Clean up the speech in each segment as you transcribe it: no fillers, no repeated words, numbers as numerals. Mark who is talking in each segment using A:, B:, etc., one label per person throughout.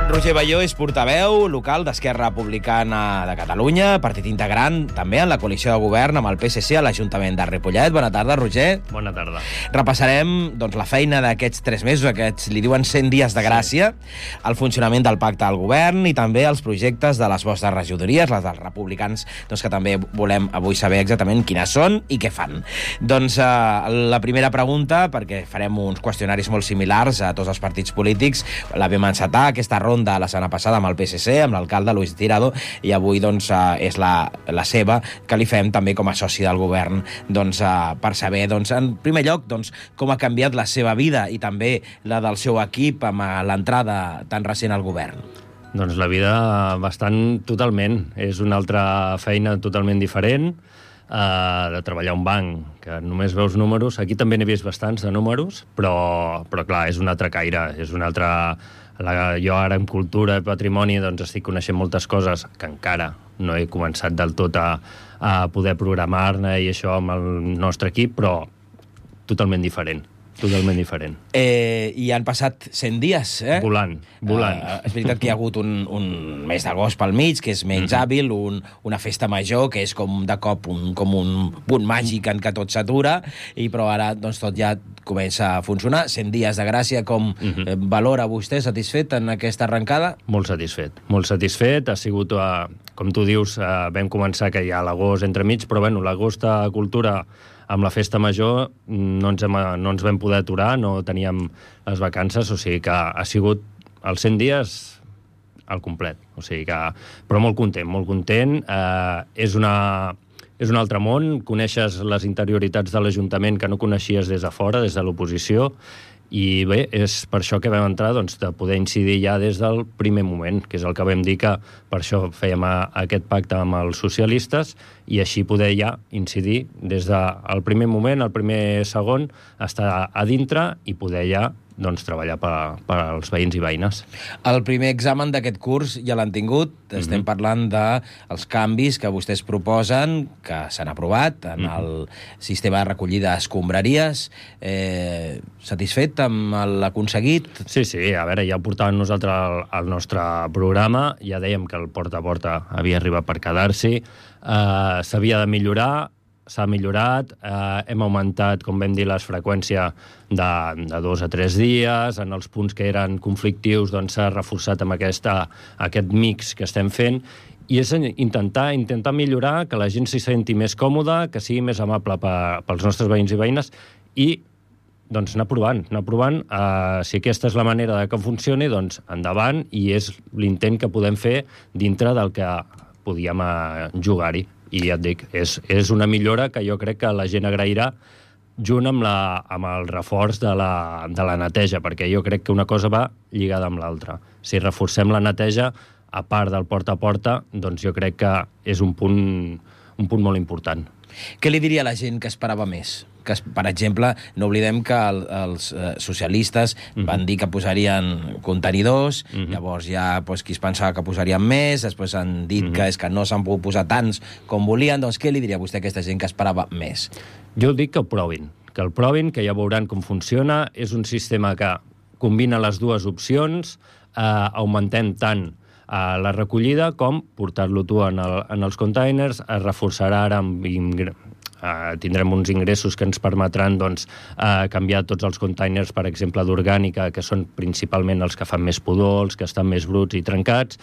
A: Roger Balló és portaveu local d'Esquerra Republicana de Catalunya, partit integrant també en la coalició de govern amb el PSC a l'Ajuntament de Ripollet. Bona tarda, Roger.
B: Bona tarda.
A: Repassarem la feina d'aquests 3 mesos, aquests li diuen 100 dies de gràcia, el funcionament del pacte al govern i també els projectes de les vostres regidories, les dels republicans, que també volem avui saber exactament quines són i què fan. La primera pregunta, perquè farem uns qüestionaris molt similars a tots els partits polítics, la vam encetar aquesta ronda la setmana passada amb el PSC, amb l'alcalde Luis Tirado, i avui és la seva, que li fem també com a soci del govern, per saber, en primer lloc, com ha canviat la seva vida i també la del seu equip amb l'entrada tan recent al govern.
B: Doncs la vida bastant totalment. És una altra feina totalment diferent, de treballar a un banc, que només veus números. Aquí també n'he vist bastants de números, però clar, és un altre caire, és un altre... Jo ara en cultura i patrimoni estic coneixent moltes coses que encara no he començat del tot a poder programar-ne i això amb el nostre equip, però totalment diferent. Totalment diferent.
A: I han passat 100 dies, eh?
B: Volant.
A: És veritat que hi ha hagut un mes d'agost pel mig, que és menys hàbil, una festa major, que és com de cop un punt màgic en què tot s'atura, però ara tot ja comença a funcionar. 100 dies de gràcia, com valora vostè, satisfet en aquesta arrencada?
B: Molt satisfet. Ha sigut, com tu dius, vam començar que hi ha l'agost entremig, però l'agost a cultura amb la festa major no ens vam poder aturar, no teníem les vacances, o sigui que ha sigut els 100 dies al complet. O sigui que... Però molt content. És un altre món, coneixes les interioritats de l'Ajuntament que no coneixies des de fora, des de l'oposició, i bé, és per això que vam entrar, de poder incidir ja des del primer moment, que és el que vam dir que per això fèiem aquest pacte amb els socialistes, i així poder ja incidir des del primer moment, el primer segon, estar a dintre i poder ja treballar per als veïns i veïnes.
A: El primer examen d'aquest curs ja l'han tingut. Estem parlant dels canvis que vostès proposen, que s'han aprovat en el sistema de recollida d'escombraries. Satisfet amb l'aconseguit?
B: Sí, a veure, ja ho portàvem nosaltres al nostre programa, ja dèiem que el porta a porta havia arribat per quedar-s'hi, s'havia de millorar, s'ha millorat, hem augmentat, com vam dir, les freqüències de 2 a 3 dies, en els punts que eren conflictius s'ha reforçat amb aquest mix que estem fent, i és intentar millorar, que la gent s'hi senti més còmoda, que sigui més amable pels nostres veïns i veïnes, i anar provant. Si aquesta és la manera que funcioni, endavant, i és l'intent que podem fer dintre del que podíem jugar-hi. I ja et dic, és una millora que jo crec que la gent agrairà, junt amb el reforç de la neteja, perquè jo crec que una cosa va lligada amb l'altra. Si reforcem la neteja, a part del porta a porta, jo crec que és un punt molt important.
A: Què li diria a la gent que esperava més? Que, per exemple, no oblidem que els socialistes van dir que posarien contenidors, llavors ja qui es pensava que posarien més, després han dit que no s'han pogut posar tants com volien, doncs què li diria vostè a aquesta gent que esperava més?
B: Jo dic que el provin, que ja veuran com funciona. És un sistema que combina les dues opcions, augmentem tant la recollida com portar-lo tu en els containers, es reforçarà ara amb tindrem uns ingressos que ens permetran canviar tots els containers, per exemple, d'orgànica, que són principalment els que fan més pudor, els que estan més bruts i trencats.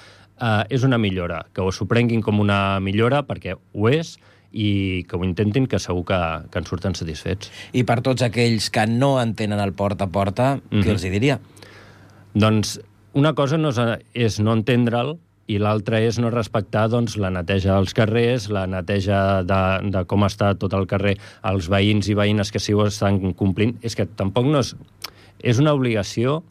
B: És una millora, que s'ho prenguin com una millora, perquè ho és, i que ho intentin, que segur que en surten satisfets.
A: I per tots aquells que no entenen el porta a porta, què els diria?
B: Doncs una cosa és no entendre'l, i l'altra és no respectar la neteja dels carrers, la neteja de com està tot el carrer, els veïns i veïnes que sí ho estan complint. És que tampoc no és... És una obligació,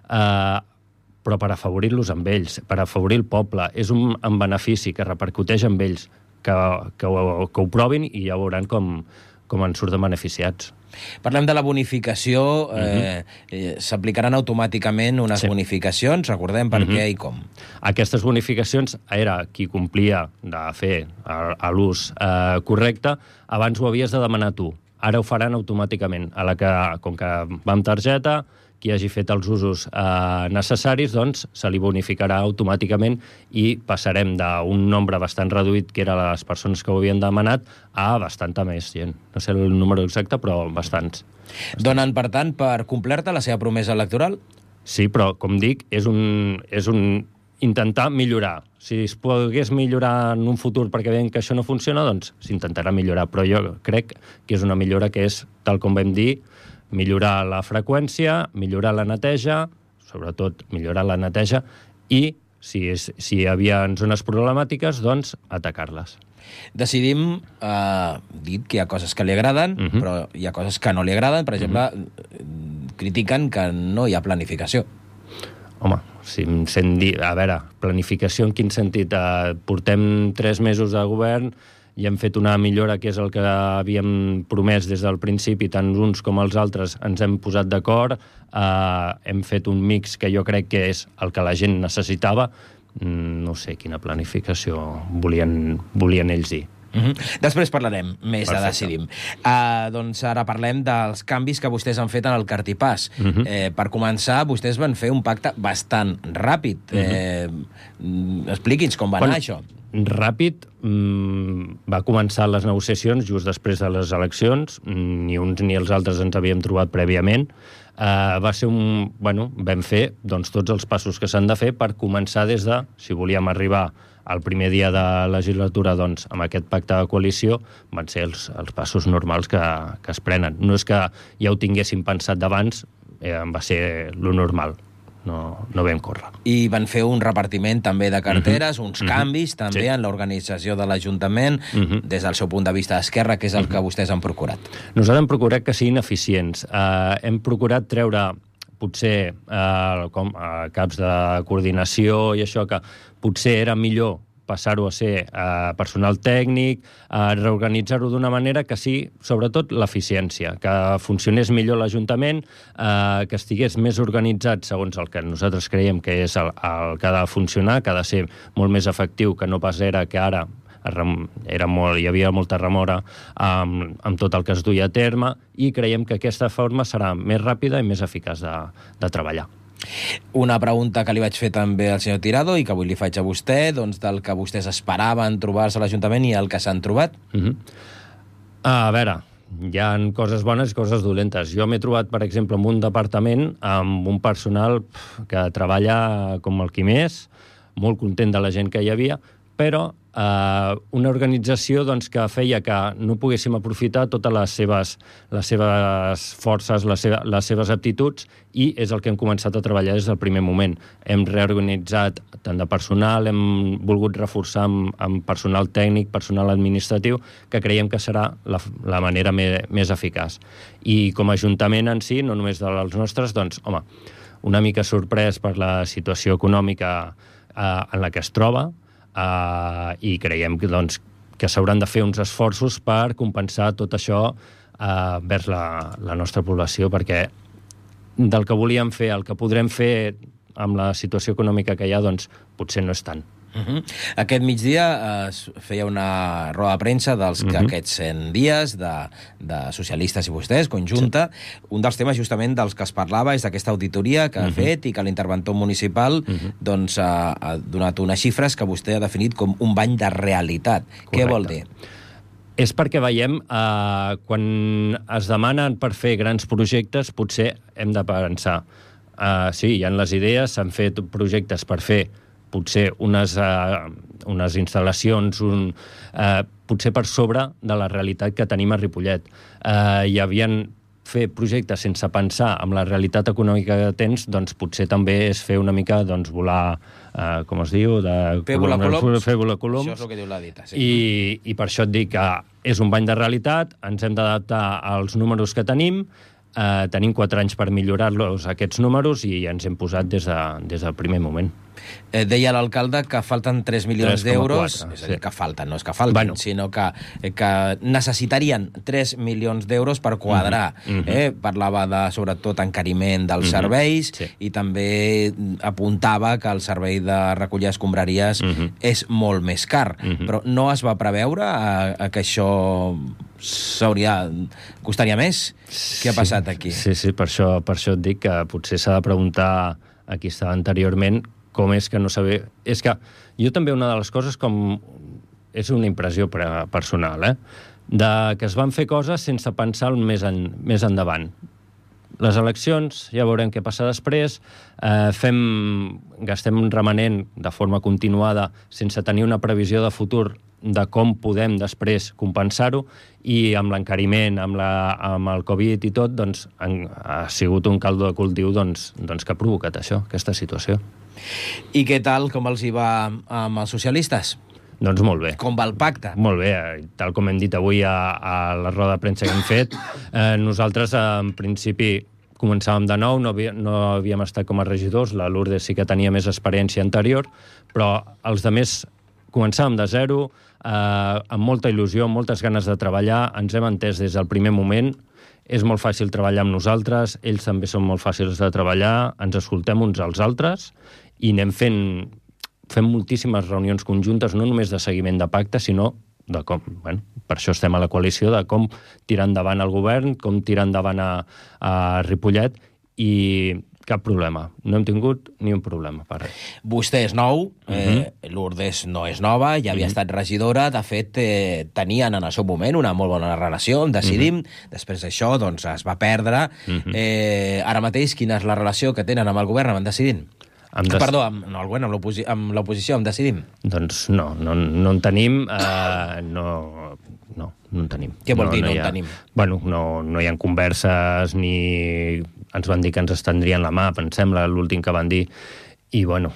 B: però per afavorir-los amb ells, per afavorir el poble. És un benefici que repercuteix amb ells, que ho provin i ja veuran com en surten beneficiats.
A: Parlem de la bonificació. S'aplicaran automàticament unes bonificacions, recordem per què i com.
B: Aquestes bonificacions era qui complia de fer l'ús correcte, abans ho havies de demanar tu. Ara ho faran automàticament. Com que va amb targeta, qui hagi fet els usos necessaris, doncs se li bonificarà automàticament i passarem d'un nombre bastant reduït, que eren les persones que ho havien demanat, a bastanta més gent. No sé el número exacte, però bastants.
A: Donen, per tant, per complerta la seva promesa electoral?
B: Sí, però, com dic, és un intentar millorar. Si es pogués millorar en un futur perquè veiem que això no funciona, doncs s'intentarà millorar. Però jo crec que és una millora que és, tal com vam dir, millorar la freqüència, millorar la neteja, sobretot millorar la neteja, i si hi havia zones problemàtiques, doncs atacar-les.
A: Decidim, dit que hi ha coses que li agraden, però hi ha coses que no li agraden. Per exemple, critiquen que no hi ha planificació.
B: Home, si em sent dir... A veure, planificació en quin sentit? Portem 3 mesos de govern i hem fet una millora, que és el que havíem promès des del principi, tant uns com els altres ens hem posat d'acord, hem fet un mix que jo crec que és el que la gent necessitava. No sé quina planificació volien ells dir.
A: Després parlarem més de Decidim. Doncs ara parlem dels canvis que vostès han fet en el Cartipàs. Per començar, vostès van fer un pacte bastant ràpid. Expliqui'ns com va anar això.
B: Ràpid, va començar les negociacions just després de les eleccions, ni uns ni els altres ens havíem trobat prèviament. Va ser vam fer tots els passos que s'han de fer per començar des de, si volíem arribar el primer dia de legislatura, doncs, amb aquest pacte de coalició, van ser els passos normals que es prenen. No és que ja ho tinguéssim pensat d'abans, va ser lo normal. No vam córrer.
A: I van fer un repartiment també de carteres, uns canvis també en l'organització de l'Ajuntament, des del seu punt de vista d'esquerra, que és el que vostès han procurat.
B: Nosaltres hem procurat que siguin eficients. Hem procurat treure potser caps de coordinació i això, que potser era millor passar-ho a ser personal tècnic, reorganitzar-ho d'una manera que sí, sobretot, l'eficiència, que funcionés millor l'Ajuntament, que estigués més organitzat segons el que nosaltres creiem que és el que ha de funcionar, que ha de ser molt més efectiu, que no pas era que ara hi havia molta remora amb tot el que es duia a terme, i creiem que aquesta forma serà més ràpida i més eficaç de treballar.
A: Una pregunta que li vaig fer també al senyor Tirado i que avui li faig a vostè, doncs del que vostès esperaven trobar-se a l'Ajuntament i el que s'han trobat.
B: A veure, hi ha coses bones i coses dolentes. Jo m'he trobat, per exemple, en un departament amb un personal que treballa com el qui més, molt content de la gent que hi havia, però una organització que feia que no poguéssim aprofitar totes les seves forces, les seves aptituds, i és el que hem començat a treballar des del primer moment. Hem reorganitzat tant de personal, hem volgut reforçar amb personal tècnic, personal administratiu, que creiem que serà la manera més eficaç. I com a Ajuntament en si, no només dels nostres, doncs, home, una mica sorprès per la situació econòmica en la que es troba, i creiem que s'hauran de fer uns esforços per compensar tot això vers la nostra població, perquè del que volíem fer, el que podrem fer amb la situació econòmica que hi ha, doncs potser no és tant.
A: Aquest migdia es feia una roda de premsa d'aquests 100 dies de socialistes i vostès, conjunta. Un dels temes justament dels que es parlava és d'aquesta auditoria que ha fet i que l'interventor municipal ha donat unes xifres que vostè ha definit com un bany de realitat. Què vol dir?
B: És perquè veiem, quan es demanen per fer grans projectes, potser hem de pensar. Sí, hi ha les idees, s'han fet projectes per fer potser unes instal·lacions potser per sobre de la realitat que tenim a Ripollet. Hi havien fer projectes sense pensar en la realitat econòmica que tens, doncs potser també és fer una mica volar, com es diu?
A: Fer volar coloms.
B: Això
A: és el que diu la dita, sí.
B: I per això et dic que és un bany de realitat, ens hem d'adaptar als números que tenim, tenim 4 anys per millorar-los, aquests números, i ens hem posat des del primer moment.
A: Deia l'alcalde que falten 3 milions d'euros, és a dir, que falten, no és que faltin, sinó que necessitarien 3 milions d'euros per quadrar. Parlava de, sobretot, encariment dels serveis, i també apuntava que el servei de recollir escombraries és molt més car. Però no es va preveure que això costaria més? Què ha passat aquí?
B: Sí, per això et dic que potser s'ha de preguntar a qui estava anteriorment com és que no sabia... És que jo també una de les coses és una impressió personal, de que es van fer coses sense pensar més endavant. Les eleccions, ja veurem què passa després, gastem un remanent de forma continuada sense tenir una previsió de futur de com podem després compensar-ho, i amb l'encariment, amb el Covid i tot, doncs ha sigut un caldo de cultiu que ha provocat això, aquesta situació.
A: I què tal, com els hi va amb els socialistes?
B: Doncs molt bé.
A: Com va el pacte?
B: Molt bé, tal com hem dit avui a la roda de premsa que hem fet, nosaltres en principi començàvem de nou, no havíem estat com a regidors, la Lourdes sí que tenia més experiència anterior, però els altres començàvem de zero, amb molta il·lusió, amb moltes ganes de treballar, ens hem entès des del primer moment, és molt fàcil treballar amb nosaltres, ells també són molt fàcils de treballar, ens escoltem uns als altres i anem fem moltíssimes reunions conjuntes, no només de seguiment de pacte, sinó de com, per això estem a la coalició, de com tirar endavant el govern, com tirar endavant a Ripollet, i cap problema. No hem tingut ni un problema per res.
A: Vostè és nou, Lourdes no és nova, ja havia estat regidora, de fet, tenien en el seu moment una molt bona relació amb Decidim, després d'això doncs, es va perdre. Ara mateix, quina és la relació que tenen amb el govern, amb Decidim? Perdó, amb l'oposició, amb Decidim?
B: Doncs no en tenim, no en tenim.
A: Què vol dir no en tenim?
B: Bueno, no hi ha converses, ni ens van dir que ens estendrien la mà, em sembla, l'últim que van dir, i bueno,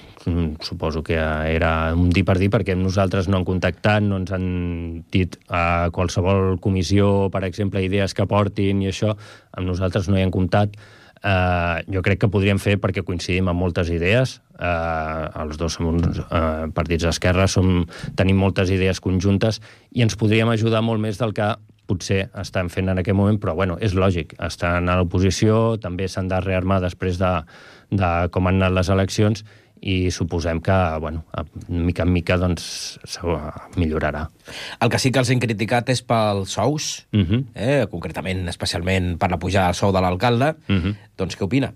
B: suposo que era un dir per dir, perquè nosaltres no han contactat, no ens han dit a qualsevol comissió, per exemple, idees que portin i això, amb nosaltres no hi han comptat. Jo crec que podríem fer, perquè coincidim amb moltes idees, els dos som uns partits d'esquerra, tenim moltes idees conjuntes i ens podríem ajudar molt més del que potser estan fent en aquest moment, però bueno, és lògic, estan a l'oposició, també s'han de rearmar després de com han anat les eleccions, i suposem que, bueno, mica en mica, doncs, millorarà.
A: El que sí que els hem criticat és pels sous, concretament, especialment per la pujada del sou de l'alcalde. Doncs què opina?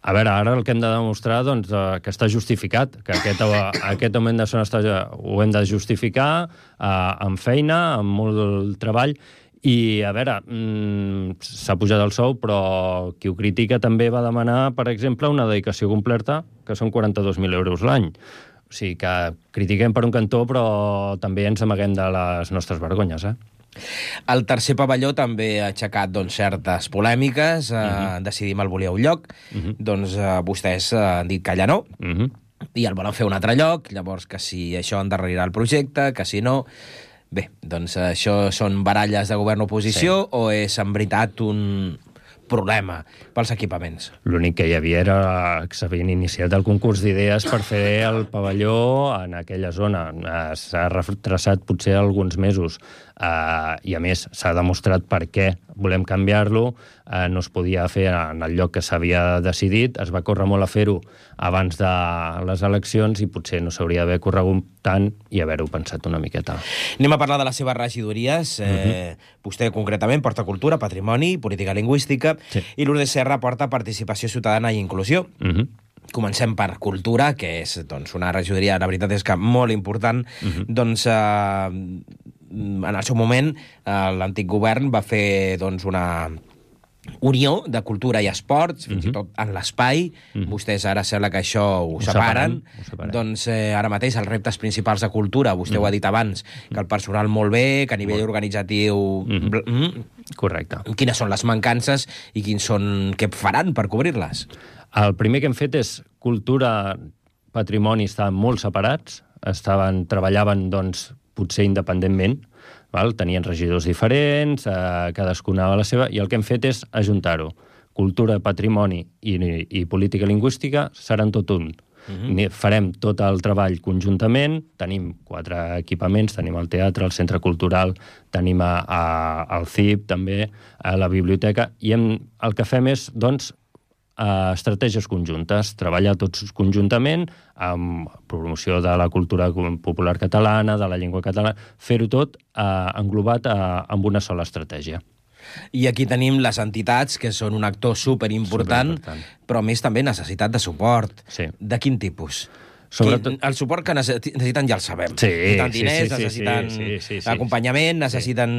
B: A veure, ara el que hem de demostrar, doncs, que està justificat, que aquest augment de sou ho hem de justificar amb feina, amb molt treball. I, a veure, s'ha pujat el sou, però qui ho critica també va demanar, per exemple, una dedicació completa, que són 42.000 euros l'any. O sigui que critiquem per un cantó, però també ens amaguem de les nostres vergonyes,
A: El tercer pavelló també ha aixecat certes polèmiques, Decidim el volia un lloc, doncs vostès han dit que allà no, i el volen fer un altre lloc, llavors que si això endarrerirà el projecte, que si no... Bé, doncs això són baralles de govern-oposició o és en veritat un problema pels equipaments?
B: L'únic que hi havia era que s'havien iniciat el concurs d'idees per fer el pavelló en aquella zona. S'ha retrasat potser alguns mesos i, a més, s'ha demostrat per què volem canviar-lo. No es podia fer en el lloc que s'havia decidit. Es va córrer molt a fer-ho abans de les eleccions i potser no s'hauria d'haver corregut tant i haver-ho pensat una miqueta.
A: Anem a parlar de les seves regidories. Vostè, concretament, porta Cultura, Patrimoni, Política Lingüística, i Lourdes Serra porta Participació Ciutadana i Inclusió. Comencem per Cultura, que és una regidoria, la veritat és que molt important. Doncs en el seu moment l'antic govern va fer una unió de cultura i esports, fins i tot en l'espai. Vostès ara sembla que això ho separen. Doncs ara mateix els reptes principals de cultura, vostè ho ha dit abans, que el personal molt bé, que a nivell organitzatiu...
B: Correcte.
A: Quines són les mancances i què faran per cobrir-les?
B: El primer que hem fet és Cultura, Patrimoni estaven molt separats, treballaven potser independentment, tenien regidors diferents, cadascuna a la seva, i el que hem fet és ajuntar-ho. Cultura, Patrimoni i Política Lingüística seran tot un. Farem tot el treball conjuntament, tenim 4 equipaments, tenim el teatre, el centre cultural, tenim el CIP també, la biblioteca, i el que fem és, estratègies conjuntes, treballar tots conjuntament amb promoció de la cultura popular catalana, de la llengua catalana, fer-ho tot englobat amb una sola estratègia.
A: I aquí tenim les entitats, que són un actor superimportant, però a més també necessitat de suport.
B: Sí.
A: De quin tipus?
B: Sobretot...
A: El suport que necessiten ja el sabem.
B: Sí,
A: necessiten diners, necessiten acompanyament, necessiten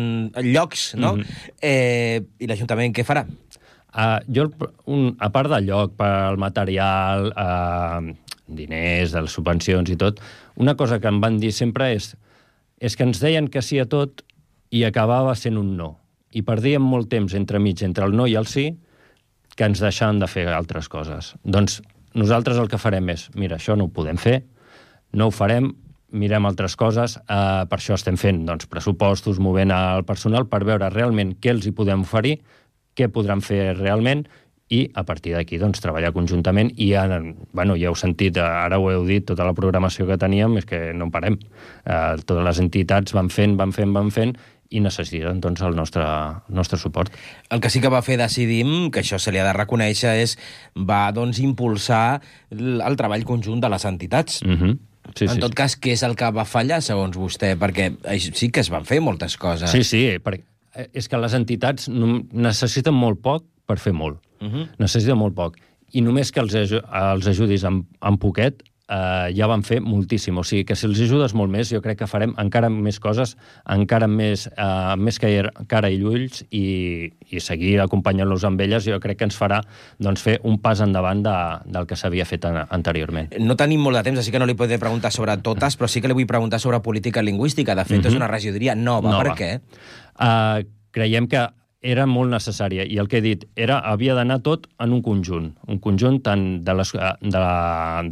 A: llocs, no? I l'Ajuntament què farà?
B: Jo, a part del lloc, pel material, diners, de les subvencions i tot, una cosa que em van dir sempre és que ens deien que sí a tot i acabava sent un no. I perdíem molt temps entremig entre el no i el sí, que ens deixaven de fer altres coses. Doncs nosaltres el que farem és, mira, això no ho podem fer, no ho farem, mirem altres coses, per això estem fent pressupostos, movent el personal per veure realment què els hi podem oferir, què podran fer realment, i a partir d'aquí treballar conjuntament. I ja heu sentit, ara ho heu dit, tota la programació que teníem és que no en parem. Totes les entitats van fent, i necessiten el nostre suport.
A: El que sí que va fer Decidim, que això se li ha de reconèixer, va impulsar el treball conjunt de les entitats. En tot cas, què és el que va fallar, segons vostè? Perquè sí que es van fer moltes coses.
B: Sí, perquè és que les entitats necessiten molt poc per fer molt. Necessiten molt poc. I només que els ajudis amb poquet, ja van fer moltíssim. O sigui, que si els ajudes molt més, jo crec que farem encara més coses, encara més cara i ulls, i seguir acompanyant-los amb elles, jo crec que ens farà fer un pas endavant del que s'havia fet anteriorment.
A: No tenim molt de temps, així que no li podré preguntar sobre totes, però sí que li vull preguntar sobre política lingüística. De fet, és una regidoria nova. Per què?
B: Creiem que era molt necessària, i el que he dit, havia d'anar tot en un conjunt tant de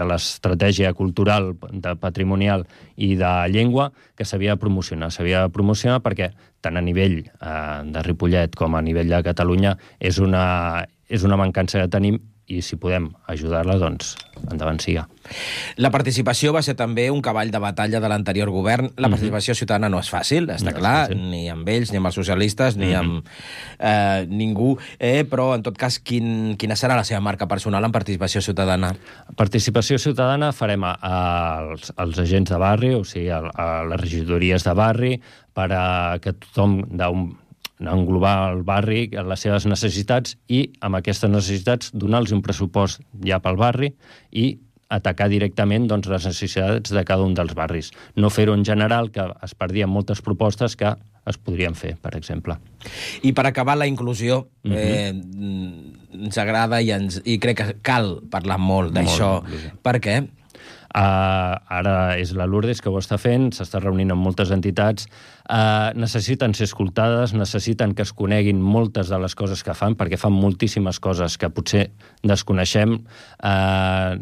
B: l'estratègia cultural, patrimonial i de llengua, que s'havia de promocionar. S'havia de promocionar perquè tant a nivell de Ripollet com a nivell de Catalunya és una mancança que tenim, i si podem ajudar-la, doncs endavant siga.
A: La participació va ser també un cavall de batalla de l'anterior govern. La participació ciutadana no és fàcil, està clar, ni amb ells, ni amb els socialistes, ni amb ningú, però en tot cas, quina serà la seva marca personal en participació ciutadana?
B: Participació ciutadana farem als agents de barri, o sigui, a les regidories de barri, per a que tothom englobar el barri, les seves necessitats, i amb aquestes necessitats donar-los un pressupost ja pel barri i atacar directament les necessitats de cada un dels barris. No fer-ho en general, que es perdien moltes propostes que es podrien fer, per exemple.
A: I per acabar, la inclusió, ens agrada i crec que cal parlar molt d'això. Per què?
B: Ara és la Lourdes que ho està fent, s'està reunint amb moltes entitats, necessiten ser escoltades, necessiten que es coneguin moltes de les coses que fan, perquè fan moltíssimes coses que potser desconeixem,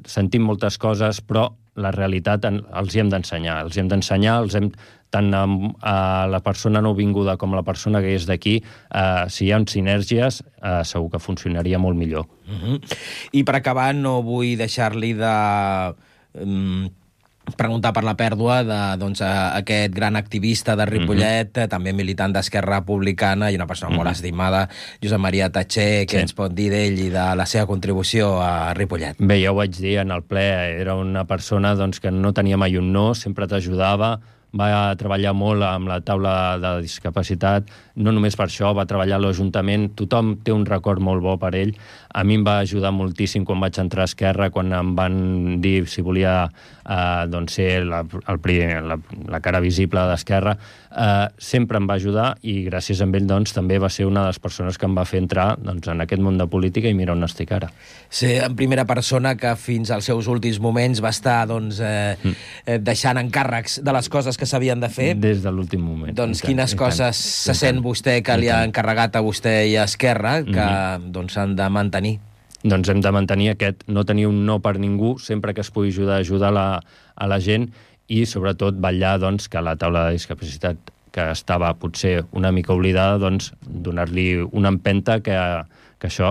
B: sentim moltes coses, però la realitat els hi hem d'ensenyar. Tant a la persona nouvinguda com a la persona que és d'aquí, si hi ha sinergies, segur que funcionaria molt millor.
A: I per acabar, no vull deixar-li de preguntar per la pèrdua d'aquest gran activista de Ripollet, també militant d'Esquerra Republicana i una persona molt estimada, Josep Maria Tatxer. Què ens pot dir d'ell i de la seva contribució a Ripollet?
B: Bé, ja ho vaig dir en el ple, era una persona que no tenia mai un no, sempre t'ajudava, va treballar molt amb la taula de discapacitat, no només per això, va treballar a l'Ajuntament, tothom té un record molt bo per ell. A mi em va ajudar moltíssim quan vaig entrar a Esquerra, quan em van dir si volia ser la cara visible d'Esquerra. Sempre em va ajudar i gràcies a ell també va ser una de les persones que em va fer entrar en aquest món de política i mira on estic ara.
A: Ser en primera persona que fins als seus últims moments va estar deixant encàrrecs de les coses que s'havien de fer.
B: Des de l'últim moment.
A: Doncs quines coses se sent vostè que li ha encarregat a vostè i a Esquerra que s'han de mantenir?
B: Doncs hem de mantenir no tenir un no per ningú, sempre que es pugui ajudar a la gent, i sobretot vetllar que la taula de discapacitat, que estava potser una mica oblidada, donar-li una empenta que que això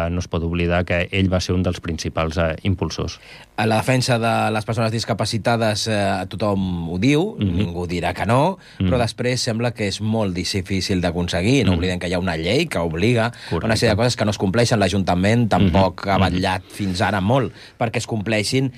B: no es pot oblidar que ell va ser un dels principals impulsors.
A: A la defensa de les persones discapacitades tothom ho diu, ningú dirà que no, però després sembla que és molt difícil d'aconseguir. No oblidem que hi ha una llei que obliga una sèrie de coses que no es compleixen. L'Ajuntament tampoc ha vetllat fins ara molt perquè es compleixin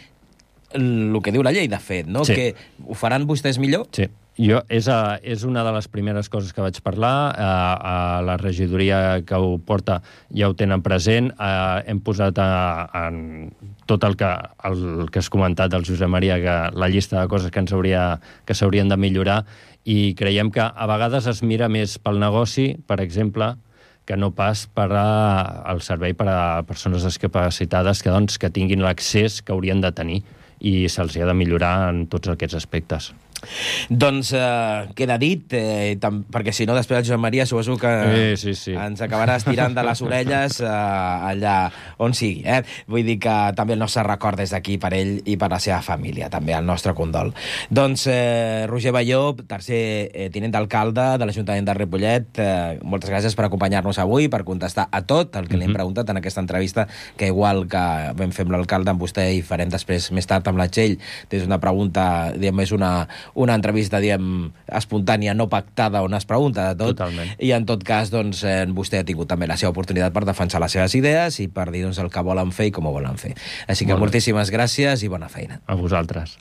A: el que diu la llei, de fet, no?
B: Sí.
A: Que ho faran vostès millor?
B: Sí. És una de les primeres coses que vaig parlar. A la regidoria que ho porta ja ho tenen present. Hem posat en tot el que has comentat del Josep Maria, que la llista de coses que s'haurien de millorar, i creiem que a vegades es mira més pel negoci, per exemple, que no pas per al servei per a persones discapacitades que tinguin l'accés que haurien de tenir, i se'ls ha de millorar en tots aquests aspectes.
A: Doncs queda dit, perquè si no després el Josep Maria suposo que ens acabarà estirant de les orelles allà on sigui. Vull dir que també el nostre record des d'aquí per ell i per la seva família, també el nostre condol. Doncs Roger Balló, tercer tinent d'alcalde de l'Ajuntament de Ripollet, moltes gràcies per acompanyar-nos avui, per contestar a tot el que li hem preguntat en aquesta entrevista, que igual que vam fer amb l'alcalde amb vostè i farem després més tard amb la Txell, és una pregunta, diguem, és una entrevista, diguem, espontània, no pactada, on es pregunta de tot.
B: Totalment.
A: I en tot cas, doncs, vostè ha tingut també la seva oportunitat per defensar les seves idees i per dir, doncs, el que volen fer i com ho volen fer. Així que moltíssimes gràcies i bona feina.
B: A vosaltres.